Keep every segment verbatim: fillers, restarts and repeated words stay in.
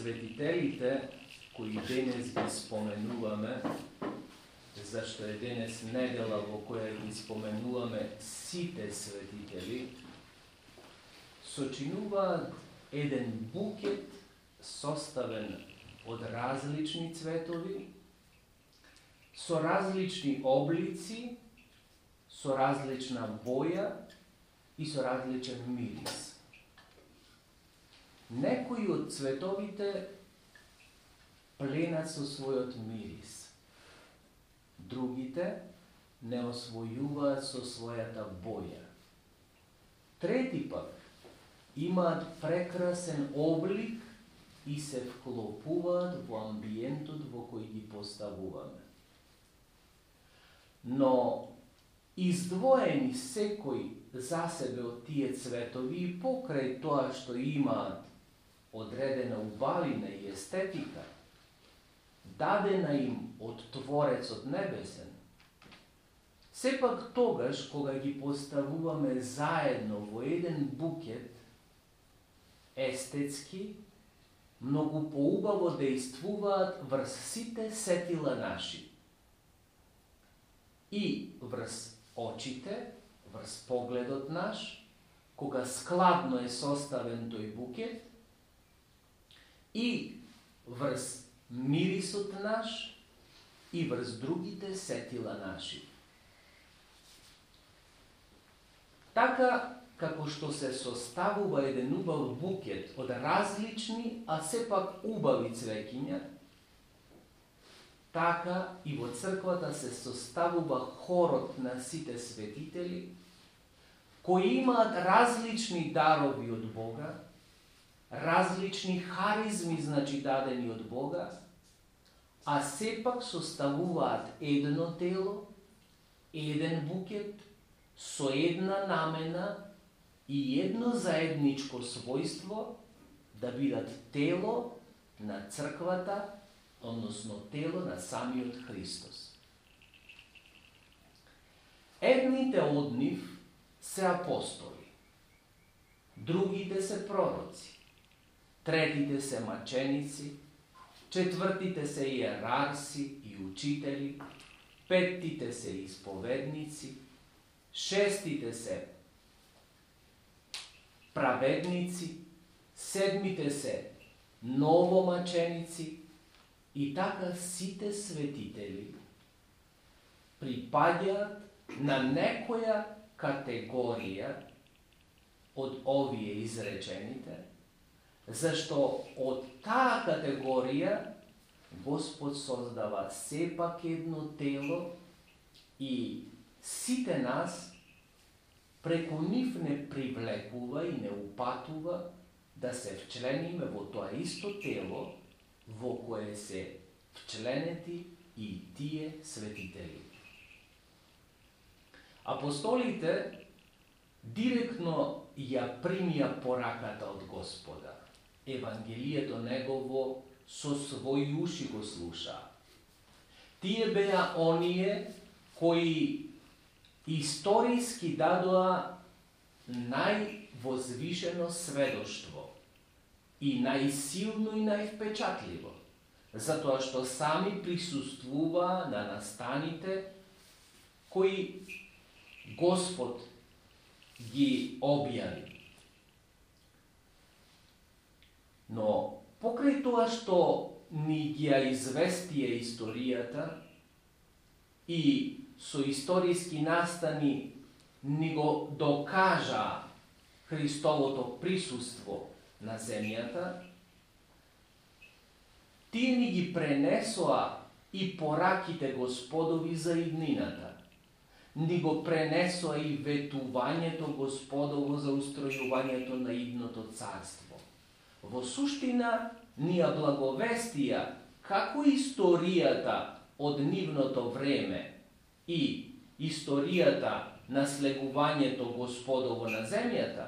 Светителите кои денес ги споменуваме, зашто е денес недела во која ги споменуваме сите светители, сочинуваат еден букет составен од различни цветови, со различни облици, со различна боја и со различен мирис. Некои од цветовите пленат со својот мирис, другите не освојуваат со својата боја. Трети пак имаат прекрасен облик и се вклопуваат во амбиентот во кој ги поставуваме. Но издвоени секој за себе од тие цветови и покрај тоа што имаат одредена убавина и естетика, дадена им од Творецот Небесен, сепак тогаш кога ги поставуваме заедно во еден букет, естетски, многу поубаво дејствуваат врз сите сетила наши. И врз очите, врз погледот наш, кога складно е составен тој букет, и врз мирисот наш, и врз другите сетила наши. Така, како што се составува еден убав букет од различни, а сепак убави цвеќиња, така и во црквата се составува хорот на сите светители, кои имаат различни дарови од Бога, различни харизми, значи дадени од Бога, а сепак составуваат едно тело, еден букет, со една намена и едно заедничко својство да бидат тело на црквата, односно тело на самиот Христос. Едните од нив се апостоли, другите се пророци, третите се маченици, четвртите се иерарси и учители, петтите се исповедници, шестите се праведници, седмите се новомаченици и така сите светители припаѓаат на некоја категорија од овие изречените, зашто од таа категорија Господ создава сепак едно тело и сите нас преку нив не привлекува и не упатува да се вчлениме во тоа исто тело во кое се вчленети и тие светители. Апостолите директно ја примија пораката од Господа. Евангелието негово со своји уши го слушаа. Тие беа оние кои историски дадоа највозвишено сведоштво и најсилно и највпечатливо, затоа што сами присуствуваа на настаните кои Господ ги објави. Но покрај тоа што ни ги ја известија историјата и со историски настани ни го докажа Христовото присуство на земјата, тие ни ги пренесоа и пораките Господови за иднината, ни го пренесоа и ветувањето Господово за устројувањето на идното царство. Во суштина, ни ја благовестија како историјата од нивното време и историјата на слегувањето Господово на земјата,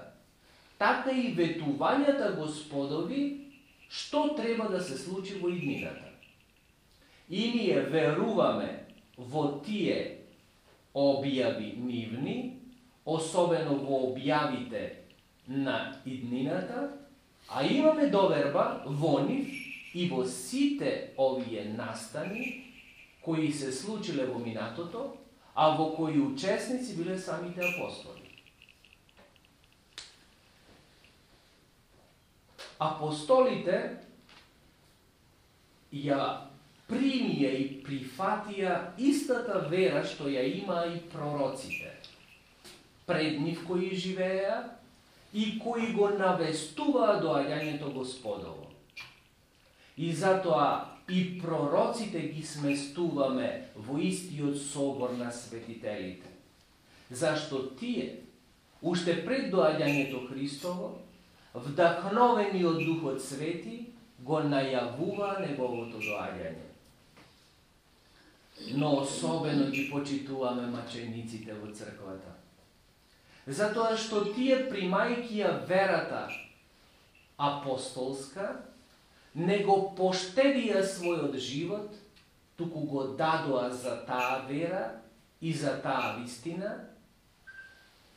така и ветувањата Господови што треба да се случи во иднината. И ние веруваме во тие објави нивни, особено во објавите на иднината, А имаме доверба во нив и во сите овие настани кои се случиле во минатото, а во кои учесници биле самите апостоли. Апостолите ја примија и прифатија истата вера што ја има и пророците, пред нив кои живееа и кои го навестуваа доаѓањето Господово. И затоа и пророците ги сместуваме во истиот собор на светителите. Зашто тие, уште пред доаѓањето Христово, вдахновени од Духот Свети, го најавува неговото доаѓање. Но особено ги почитуваме мачениците во црквата. Затоа што тие, примајќи ја верата апостолска, не го поштедија својот живот, туку го дадоа за таа вера и за таа вистина,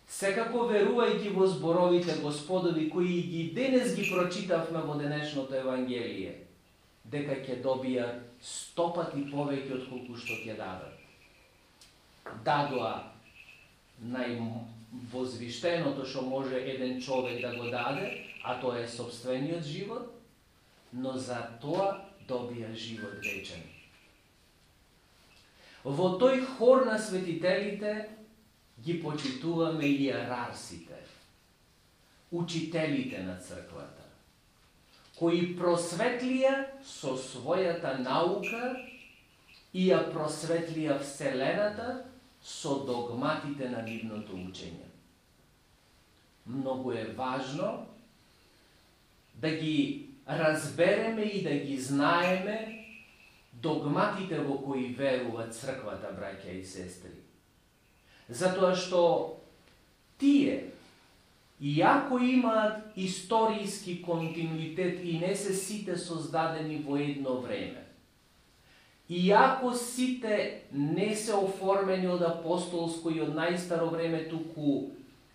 секако верувајќи во зборовите Господови, кои ги денес ги прочитавме во денешното Евангелие, дека ќе добијат сто пати повеќе од колку што ќе дадат. Дадоа највозвиштеното што може еден човек да го даде, а тоа е собствениот живот, но за тоа добија живот вечен. Во тој хор на светителите ги почитуваме иерарсите, учителите на црквата, кои просветлија со својата наука и ја просветлија Вселената со догматите на нивното учење. Многу е важно да ги разбереме и да ги знаеме догматите во кои верува црквата, браќа и сестри. Затоа што тие, иако имаат историски континуитет и не се сите создадени во едно време, иако сите не се оформени од апостолско и од најстаро време, туку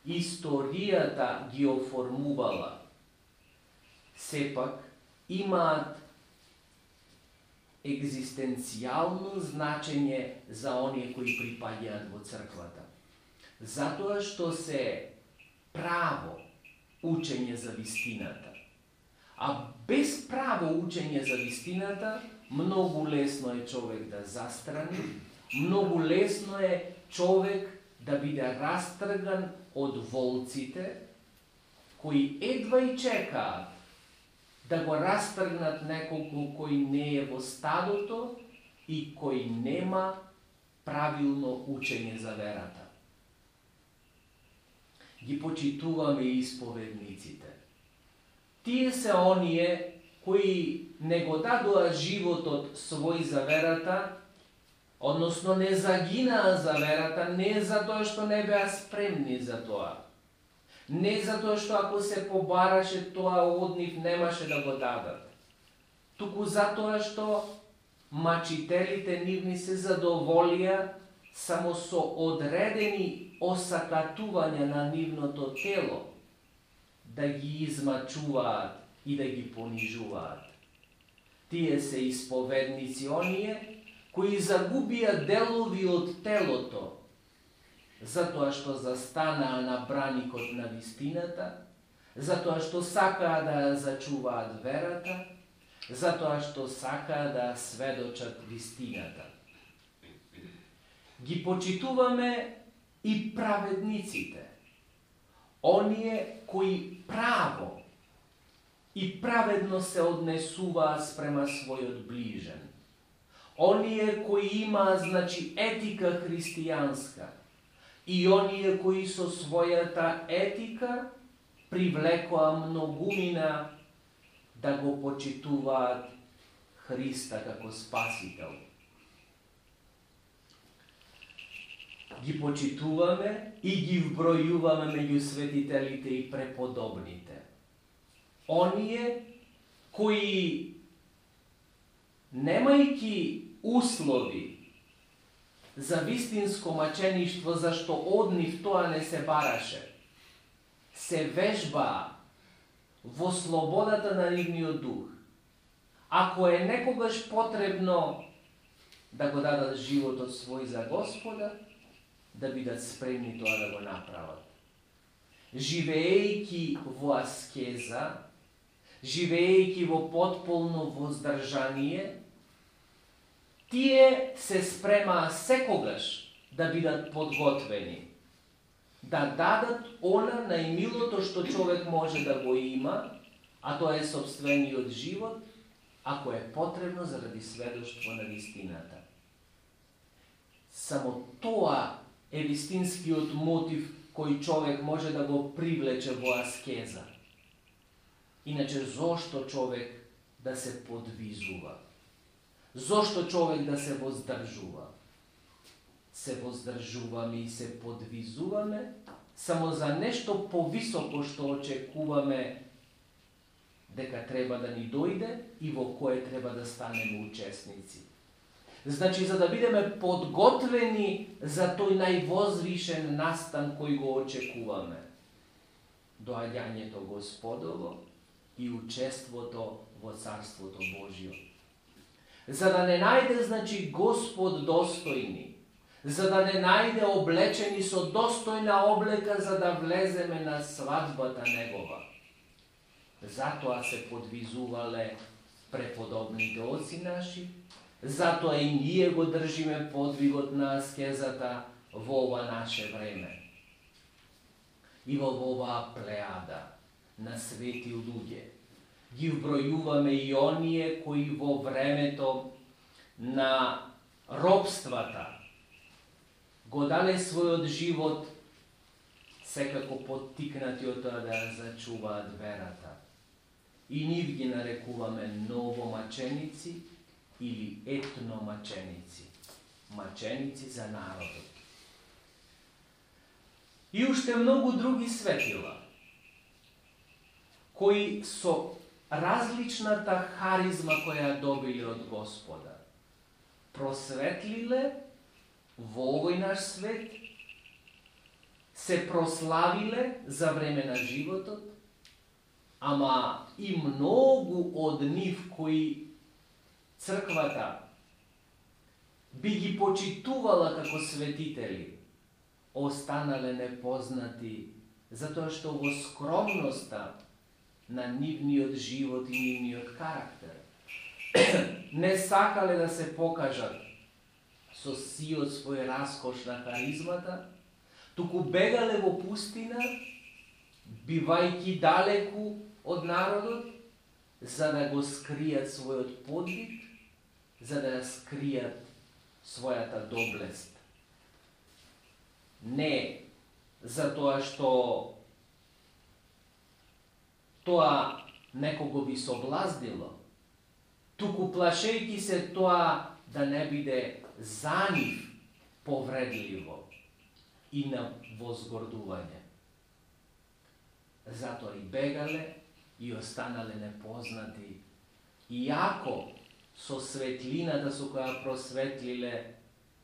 историјата ги оформувала, сепак имаат екзистенцијално значење за оние кои припаѓаат во црквата. Затоа што се право учење за вистината. А без право учење за вистината, многу лесно е човек да застрани, многу лесно е човек да биде растрган од волците, кои едва и чекаат да го растргнат неколку кој не е во стадото и кој нема правилно учење за верата. Ги почитуваме и исповедниците. Тие се оние кои не го дадоа животот свој за верата, односно не загинаа за верата, не затоа што не беа спремни за тоа. Не затоа што ако се побараше тоа од нив немаше да го дадат. Туку затоа што мачителите нивни се задоволија само со одредени осакатувања на нивното тело, да ги измачуваат и да ги понижуваат. Тие се исповедници оние кои загубија делови од телото, затоа што застанаа на браникот на вистината, затоа што сакаа да ја зачуваат верата, затоа што сакаа да сведочат вистината. Ги почитуваме и праведниците, оние кои право и праведно се однесуваат спрема својот ближен, оние кои имаат, значи, етика христијанска, и оние кои со својата етика привлекоа многумина да го почитуваат Христа како Спасител. Ги почитуваме и ги вбројуваме меѓу светителите и преподобните. Оние кои, немајќи услови за вистинско мачеништво, зашто од нив тоа не се бараше, се вежбаа во слободата на нивниот дух. Ако е некогаш потребно да го дадат животот свој за Господа, да бидат спремни тоа да го направат. Живеејќи во аскеза, живеејќи во потполно воздржание, тие се спремаа секогаш да бидат подготвени, да дадат она најмилото што човек може да го има, а тоа е сопствениот живот, ако е потребно заради сведоштво на вистината. Само тоа е вистинскиот мотив кој човек може да го привлече во аскеза. Иначе, зошто човек да се подвизува? Зошто човек да се воздржува? Се воздржуваме и се подвизуваме само за нешто повисоко што очекуваме дека треба да ни дојде и во кое треба да станеме учесници. Значи, за да бидеме подготвени за тој највозвишен настан кој го очекуваме. Доаѓањето Господово и учеството во Царството Божјо. За да не најде, значи, Господ достојни, за да не најде облечени со достојна облека, за да влеземе на свадбата Негова. Затоа се подвизувале преподобните оци наши, затоа и ние го држиме подвигот на аскезата во ова наше време. И во оваа плеада на свети луѓе ги вбројуваме и оние кои во времето на робствата го дале својот живот секако поттикнати од тоа да ја зачуваат верата. И нив ги нарекуваме новомаченици или етномаченици, маченици за народот. И уште многу други светила, кои со различната харизма која добиле од Господа, просветлиле во овој наш свет, се прославиле за време на животот, ама и многу од нив кои црквата би ги почитувала како светители, останале непознати, затоа што во скромноста на нивниот живот и нивниот карактер не сакале да се покажат со сиот свој раскош на харизмата, туку бегале во пустина, бивајќи далеку од народот, за да го скријат својот подвиг, за да ја скријат својата доблест. Не за тоа што тоа некого би соблазнило, туку плашејќи се тоа да не биде за нив повредливо и на возгордување. Затоа и бегале и останале непознати, иако со светлината со која просветлиле,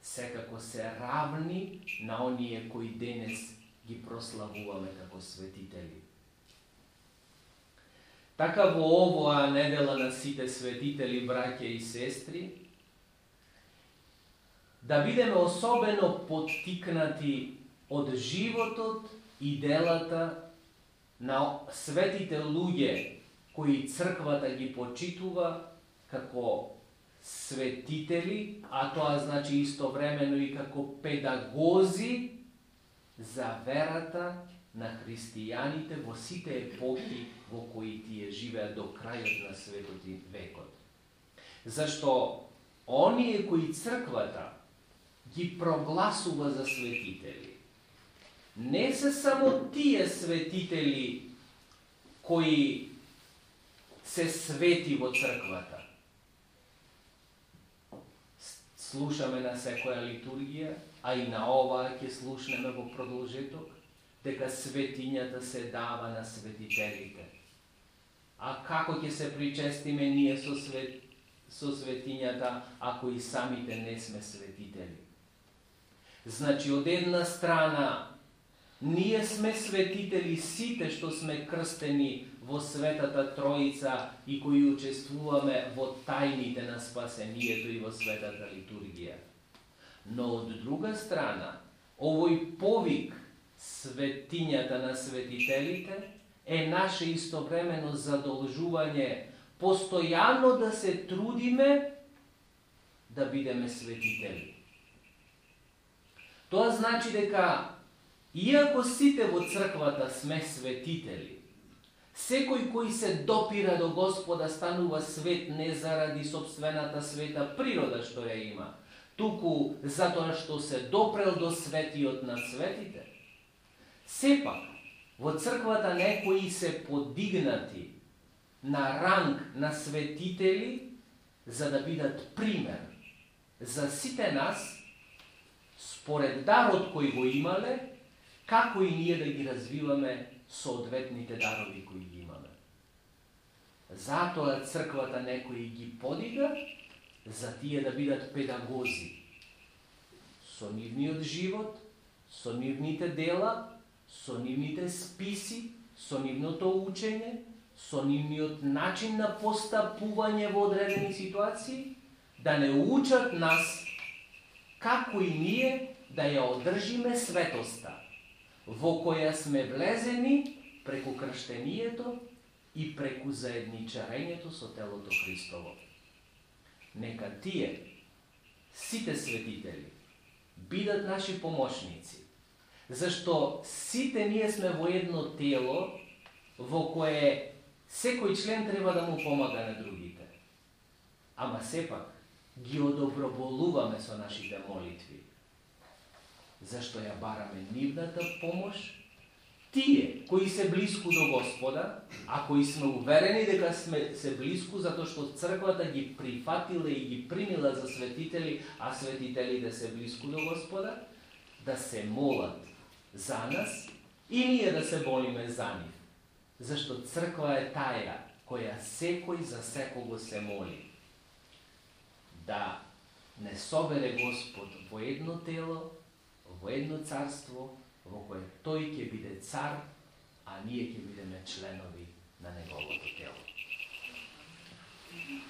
секако се равни на оние кои денес ги прославуваме како светители. Така во овоа недела на сите светители, браќа и сестри, да бидеме особено поттикнати од животот и делата на светите луѓе кои црквата ги почитува како светители, а тоа значи истовремено и како педагози за верата на христијаните во сите епохи во кои тие живеат до крајот на светот и векот. Зашто оние кои црквата ги прогласува за светители, не се само тие светители кои се свети во црквата. Слушаме на секоја литургија, а и на оваа ќе слушнеме во продолжеток, дека светињата се дава на светителите. А како ќе се причестиме ние со, свет, со светињата, ако и самите не сме светители? Значи, од една страна, Ние сме светители сите што сме крстени во Светата Троица и кои учествуваме во тајните на спасението и во Светата литургија. Но од друга страна, овој повик светињата на светителите е наше истовремено задолжување постојано да се трудиме да бидеме светители. Тоа значи дека, иако сите во црквата сме светители, секој кој се допира до Господа станува свет не заради собствената света природа што ја има, туку затоа што се допрел до светиот на светите. Сепак, во црквата некои се подигнати на ранг на светители за да бидат пример за сите нас, според дарот кој го имале, како и ние да ги развиваме соодветните дарови кои ги имаме. Затоа црквата некои ги подига, за тие да бидат педагози. Со нивниот живот, со нивните дела, со нивните списи, со нивното учење, со нивниот начин на постапување во одредени ситуации, да не учат нас како и ние да ја одржиме светоста, во која сме влезени преку крштението и преку заедничарењето со телото Христово. Нека тие, сите светители, бидат наши помошници, зашто сите ние сме во едно тело во кое секој член треба да му помага на другите. Ама сепак ги одоброволуваме со нашите молитви, зашто ја бараме нивната помош. Тие кои се блиску до Господа, а кои сме уверени дека сме се блиску затоа што црквата ги прифатила и ги примила за светители, а светителите се блиску до Господа, да се молат за нас и ние да се молиме за нив. Зашто црква е таја која секој за секого се моли. Да не собере Господ во едно тело, во едно царство, во кое тој ќе биде цар, а ние ќе бидеме членови на неговото тело.